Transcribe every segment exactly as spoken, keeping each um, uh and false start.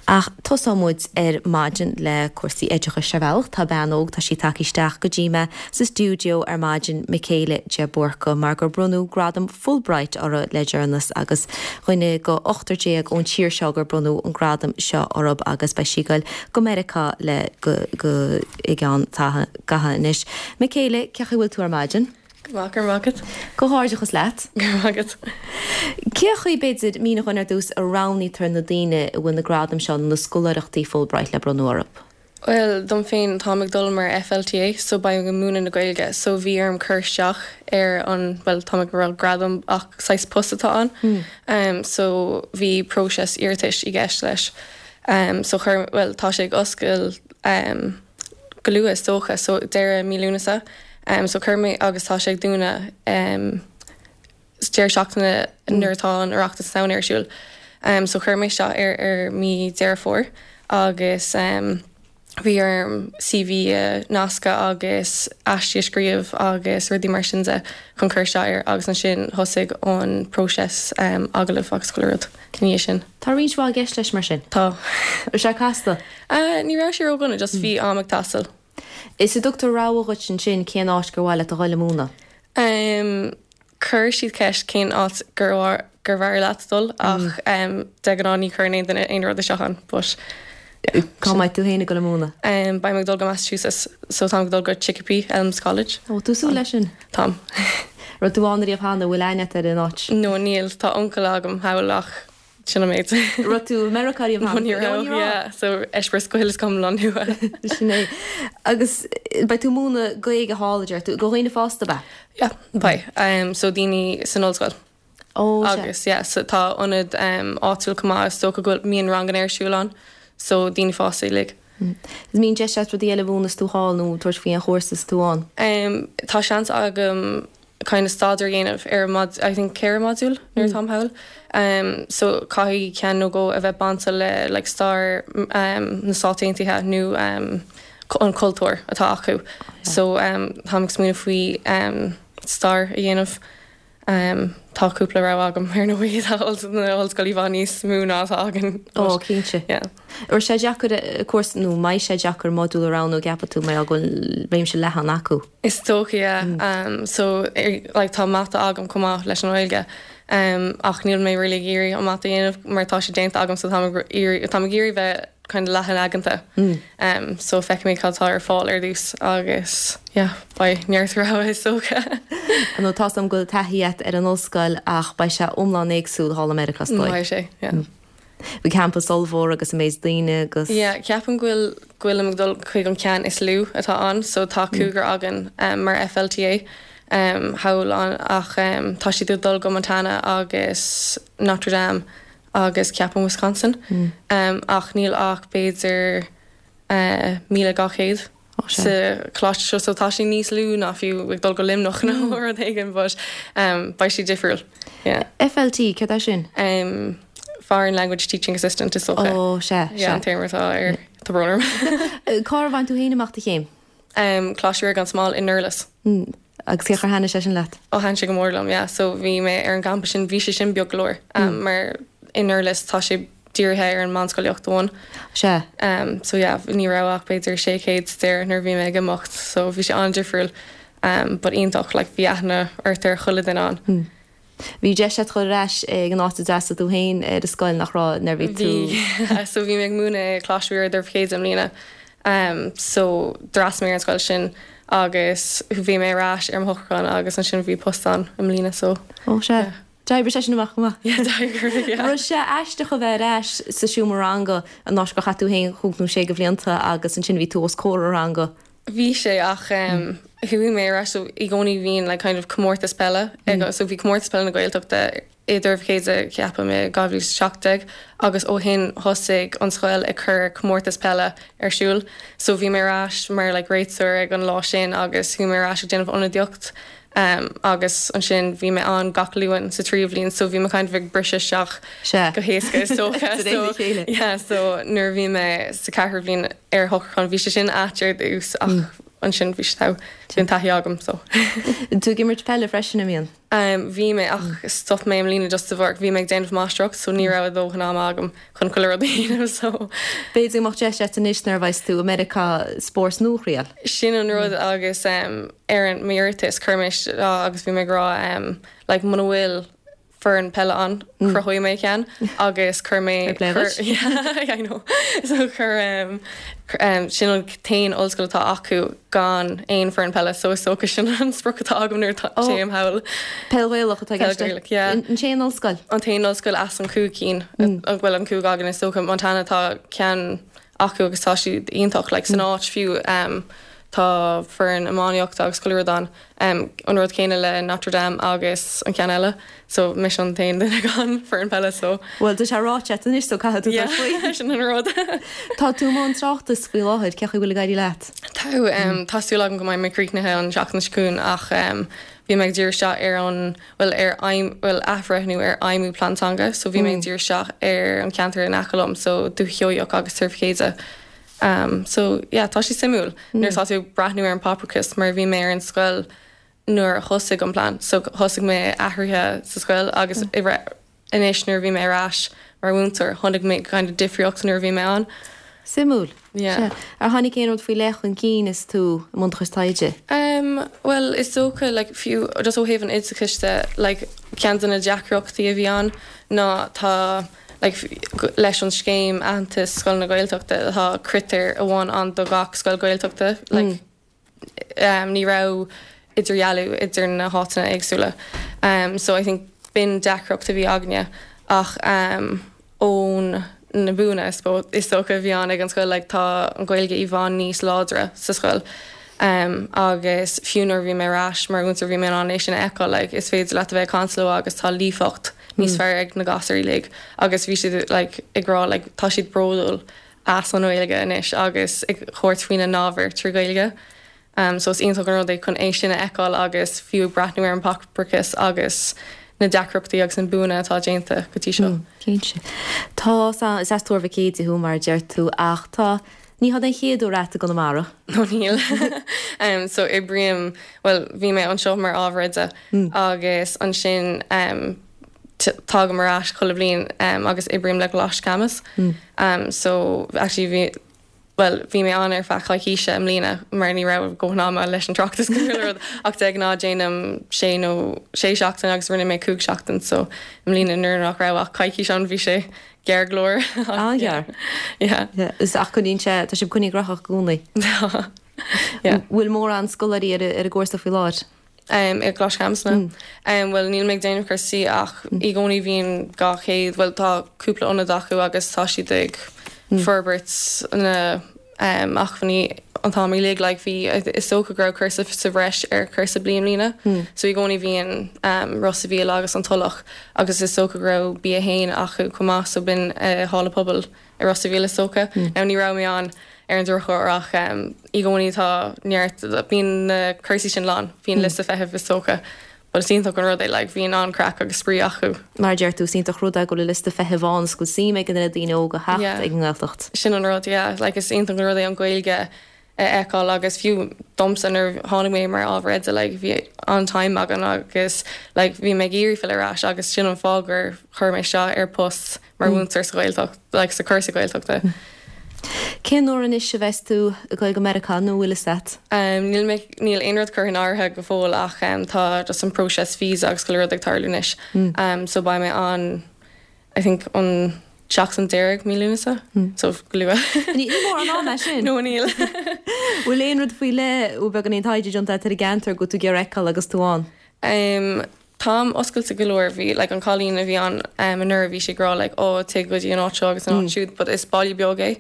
Ach tosóidh muid ar maidin le cúrsaí oideachais ar bhealach tá bean óg tá sí tagtha isteach go dtí mé sa stiúideo ar maidin Michaela de Búrca mar gur bronnadh gradam Fulbright uirthi le deireanas agus duine de ochtar déag ón tír seo gur bronnadh an gradam seo orthu agus beidh sí ag goil go Meiriceá le go go i gceann anois. Michaela cén chaoi a bhfuil tú ar maidin? Maith go raibh maith agat. Comhghairdeachas leat. Agat. Cé chaoi b'fhéidir mínigh dúinn ar dtús a roghnaítear na daoine a bhfuil na gradaim seo na scoláireachtaí Fulbright le bronnadh orthu. Well dom féin táim ag dul mar FLTA so beidh ag múineadh na Gaeilge so bhí orm cur isteach ar an well tá go raibh gradam ach saghas post atá ann. Mm. Um, so bhí próiseas iarratais i gceist leis. Um, so chur well tá sé ag oscailt um, go luath is dócha so deireadh mí Lúnasa. Um, so chuir mé agus tá sé ag dúnadh um, deireadh seachtaine mm. nuair atá an Oireachtas ann ar siúl. Um, so chuir mé seo ar ar mí Deireadh Fómhair agus um, bhí orm CV a nascadh agus aiste a scríobh agus rudaí mar sin de chun cur isteach air agus ansin thosaigh an próiseas um, agallamh agus chuile rud ina sin. Tá roinnt mhaith i gceist leis mar sin. Tá sé casta. Uh, ní raibh sé ródhona just bhí am ag teastáil. Is a dtugtar rogha dhuit ansin cén áit gur mhaith leat a dhul ag múineadh. Um, Chuir siad ceist cén áit gur gur mhaith leat dul ach um, de ghnáth ní chuireann aon duine aon rud isteach ann, but Cá mbeidh tú féin ag dul ag múineadh? Um, Beidh mé ag dul go Massachusetts, so táim ag dul go Chicopee Elms College. Ó tú súil leis sin? Táim. Raibh tú ann riamh cheana bhfuil aithne ar an áit? No níl tá uncail agam thall ach sin an méid. Raibh tú i Meiriceá riamh cheana? Ní raibh, yeah, so eispéireas go huile is go hiomlán nua. Sin é. Agus beidh tú ag múineadh Gaeilge thall deir tú do dhaoine fásta ab ea? Yeah, beidh. Um, so daoine san ollscoil. Ó agus yeah, so tá ionad um, áitiúil chomh maith is dócha go bhfuil mbíonn ranganna ar siúl ann, so daoine fásta uilig. Is mbíonn deis agat rudaí eile a mhúineadh is tú thall nó tabhairt faoi an chúrsa is tú ann. Um, tá seans agam kind of staidéar a dhéanamh ar mod I think ceithre modúl nuair táim thall. Um, so caithfidh ceann nó dhó a bheith bainte le like, stair um, na Stát Aontaithe nó um, an cultúr atá acu. So um, táim ag smaoineamh faoi um, stair a dhéanamh. Um, tá cúpla rogha agam ar ndóigh tá na ollscoil i bhfad níos mó ná atá againn. Ó cinnte. Yeah. Ar sé deacair cúrsa nó mbeidh sé deacair modúl a roghnú ceapann tú mar go bhfuil réimse leathan acu. Is dócha yeah. Um, so er, like, tá mata agam chomh maith leis an Ghaeilge. Um, ach níl mé really ag iarraidh an mata a dhéanamh mar tá sé déanta agam so tá tá ag iarraidh bheith kind of leathan aigeanta. Mm. Um, so feicfidh mé cad atá ar fáil ar dtús agus yeah, beidh neart rogha is dócha. Nó tá am go taithí agat ar an ollscoil ach beidh sé iomlán éagsúil thall i Meiriceá is dóigh. Beidh sé, yeah. Bhí campus ollmhór agus an méid daoine agus. Yeah, ceapaim go bhfuil go bhfuilim ag dul chuig an ceann is lú atá ann, so tá cúigear againn um, mar FLTA um, thall ann ach um, tá siad ag dul go Montana agus Notre Dame agus ceapaim Wisconsin. Mm. Um, ach níl ach b'fhéidir uh, míle dhá chéad sa choláiste seo so tá sé níos lú ná fiú ag dul go Luimneach nó rud éigin, but um, beidh sé difriúil. Yeah. FLT cad é sin? Um, Foreign Language Teaching Assistant is dócha. Ó sé Yeah, an téarma atá ar tá brón orm. Cár bhain tú féin amach do chéim? Um, Coláiste Ríoga an Smál i nDurlas. Mm. Agus cé chomh thaitin sé sin leat? Ó thaitin sé go mór liom, yeah. so bhí mé ar an gcampas sin bhí sé sin beag go leor um, mm. mar i nDurlas tá sé dírithe ar an meánscolaíocht amháin. Sé. Um, so yeah, ní raibh ach b'fhéidir sé chéad there nuair bhí mé ag imeacht, so bhí sé an-difriúil um, but iontach like, bhí aithne ort ar chuile dhuine ann. Mm. Bhí deis agat dul ar ais ag an áit a d'fhreastail tú féin ar an scoil nach raibh nuair bhí tú. Bhí so bhí mé ag múineadh Coláiste Ríoga Doire Chéide i mbliana. Um, so d'fhreastail mé ar an scoil sin agus bhí mé ar ais ar mo shocrúchán agus ansin bhí post ann i mbliana so. Ó sé. Yeah. D'oibrigh sé sin amach go maith. Yeah, d'oibrigh, yeah. Raibh sé aisteach a bheith ar ais sa seomra ranga an áit gur chaith tú féin cúig nó sé de bhlianta agus ansin bhí tú os comhair an ranga. Bhí sé ach um, chuaigh mé ar ais so i gcónaí bhíonn like, kind of comórtas peile mm. so bhí comórtas peile na Gaeltachta i Doire Chéide ceapaim i dhá mhíle seacht déag agus ó shin thosaigh an scoil ag cur comórtas peile ar siúl so bhí mé ar ais mar like, réiteoir ag an lá sin agus chuaigh mé ar ais ag déanamh ionadaíocht um, agus ansin bhí mé ann gach Luan sa tríú bliain so bhí mé kind of ag briseadh isteach Sé. go héasca is dócha De réir a so chéile. yeah, so nuair bhí mé sa ceathrú bhliain ar shocrúchán bhí sé sin ait ar dtús ach ansin bhí sé bhí an taithí agam so. Tú ag imirt peile freisin an mbíonn? Um, bhí mé ach stop mé i mbliana just de bharr bhí mé ag déanamh máistreacht so ní raibh dóthain ama agam chun chuile rud a dhéanamh so. B'fhéidir go mbeadh deis agat anois nuair a bheas tú i Meiriceá spórt nua a thriail. Sin an rud agus um, ar an m'iarratas chuir mé agus bhí mé ag rá um, like, muna bhfuil foireann peile ann cruthóidh mé ceann agus chuir mé yeah, I know. so chuir um, um, sin an t-aon ollscoil atá acu gan aon foireann peile so is dócha sin an sprioc atá agam nuair a théim thall. Peil Ghaelach atá Peil Ghaelach, yeah. An t-aon ollscoil? An t-aon ollscoil as an cúig cinn mm. bhfuil an cúig againn is dócha Montana tá ceann acu agus tá siad iontach like, san áit fiú um, tá foireann iománaíochta agus chuile rud ann um, an rud céanna le Notre Dame agus an ceann eile, so mise an t-aon duine gan foireann peile so. Well tá sé ráite anois so caithfidh tú faoi sin an rud. Tá tú i mbun tráchtas faoi láthair cén chaoi a bhfuil ag éirí leat. Tá um, tá súil agam go mbeidh mé críochnaithe an seachtain seo chugainn ach um, bhí mé ag díriú isteach ar an bhfuil ar bhfuil athbhreithniú ar fheidhmiú plean teanga, so bhí mé ag díriú isteach ar an ceantar in aice liom so Dúiche Sheoigheach agus Tuar Mhic Éadaigh. Um, so yeah, tá sé suimiúil mm. nuair tá tú breathnú ar an páipéarachas mar bhí mé ar an scoil nuair a thosaigh an plean, so thosaigh mé athruithe sa scoil agus mm. anois nuair bhí mé ar ais mar mhúinteoir chonaic mé kind of difríocht nuair bhí mé ann. Suimiúil. Yeah. Ar tháinig aon rud faoi leith chun cinn is tú i mbun do chuid taighde? Um, well is dócha like, fiú just ó thaobh an oideachais de like, ceann de na deacrachtaí a bhí ann ná tá like, leis an scéim aitheantas scoileanna Gaeltachta tá critéar amháin ann do gach scoil Gaeltachta like, mm. um, ní raibh idirdhealú idir na háiteanna éagsúla. Um, so I think b'in deacracht a bhí againne ach um, ón na buanna is dócha a bhí ann ag an scoil like, tá an Ghaeilge i bhfad níos láidre sa scoil. Um, agus fiú nuair bhí mé ar ais mar mhúinteoir bhí mé an é sin a fheiceáil like, is féidir leat a bheith ag caint leo agus tá líofacht níos mm. fearr ag na gasúir uilig agus bhí siad like, ag rá like, tá siad bródúil as an Ghaeilge anois agus ag tabhairt faoina n-ábhar trí Ghaeilge. Um, so is iontach an rud é chun é sin a fheiceáil agus fiú breathnú ar an páipéarachas agus na deacrachtaí agus an buanna atá déanta go dtí seo. Mm, cinnte. Tá is as Tuar Mhic Éadaigh thú mar a deir tú ach tá ní hé an chéad uair i gConamara. No níl. um, so oibrím well bhí mé anseo mar ábhar oide mm. agus ansin um, tagaim ar ais chuile bhliain um, agus oibrím le Coláiste Camus. Mm. Um, so actually bhí well bhí mé ann ar feadh coicíse i mbliana mar ní raibh dóthain ama leis an tráchtas rud ach de ghnáth déanaim sé nó sé seachtain agus rinne mé cúig seachtain so i mbliana nuair nach raibh ach coicís ann bhí sé gearr go leor. An-ghearr. Yeah. Is ach coinníonn sé tá sibh coinnithe gnóthach i gcónaí. Yeah. Bhfuil mórán scoláirí ar ar an gcúrsa faoi láthair. Um, i gColáiste Camus mm. um, well níl mé ag déanamh cúrsaí ach mm. i gcónaí bhíonn dhá chéad well tá cúpla ionad acu agus tá siad ag mm. forbairt na um, acmhainní an t-am uilig like bhí is dócha go raibh cúrsa sa bhreis ar chúrsa bliain lína mm. so i gcónaí bhíonn um, Ros an Mhíl agus an Tulach agus is dócha go raibh B a haon acu chomh maith so b'in uh, halla pobail i Ros an Mhíl is dócha mm. Now ní raibh mé ann ar an drochuair ach um, i gcónaí tá neart bíonn na cúrsaí sin lán bíonn mm. liosta feithimh is dócha. But is iontach an rud é like, bhíonn an-chraic agus spraoi acu. Mar deir tú is iontach rud é go bhfuil liosta feithimh ann go suim ag na daoine óga theacht Yeah. ag an nGaeltacht. Sin an rud yeah. like, is iontach an rud é an Ghaeilge a fheiceáil agus fiú domsa nuair tháinig mé mar ábhar oide like, bhí an-time agam agus like, bhí mé ag iarraidh filleadh ar ais agus sin an fáth gur chuir mé isteach ar post mar mhúinteoir sa Ghaeltacht like, sa chúrsa Gaeltachta. Cén uair anois a bheas tú ag dul go Meiriceá nó bhfuil fhios agat? Um, níl mé níl aon rud curtha in áirithe go fóill ach um, tá just an próiseas visa agus chuile rud ag tarlú anois. Mm. Um, so beidh mé an I think an seachtain deiridh mí Lúnasa mm. so go luath. Ní mór an am é sin? No níl. Bhfuil aon rud faoi leith ó beagán aon taighde déanta ar an gceantar go tú ag feiceáil agus tú ann? Um, Táim oscailte go leor bhí like, an cailín a bhí ann um, anuraidh bhí sí ag rá like, ó téigh go dtí an áit seo agus an áit mm. siúd, but is baile beag é.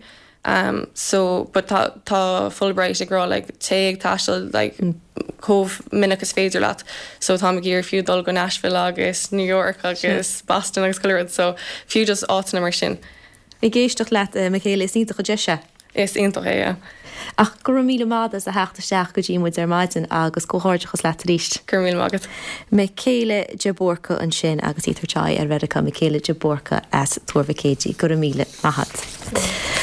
Um, so but tá, tá Fulbright ag rá like, téigh ag taisteal like, mm. chomh minic is féidir leat. So tá ag iarraidh fiú dul go Nashville agus New York agus Boston agus chuile rud, so fiú just áiteanna mar sin. Ag éisteacht leat uh, Michaela is iontach an deis é. Is iontach é, yeah. Ach go raibh míle maith as a theacht isteach go dtí muid ar maidin agus comhghairdeachas leat arís. Go raibh míle maith agat. Michaela de Búrca ansin agus í tar aghaidh ar Mheiriceá Michaela de Búrca as Tuar Mhic Éadaigh go raibh míle maith agat.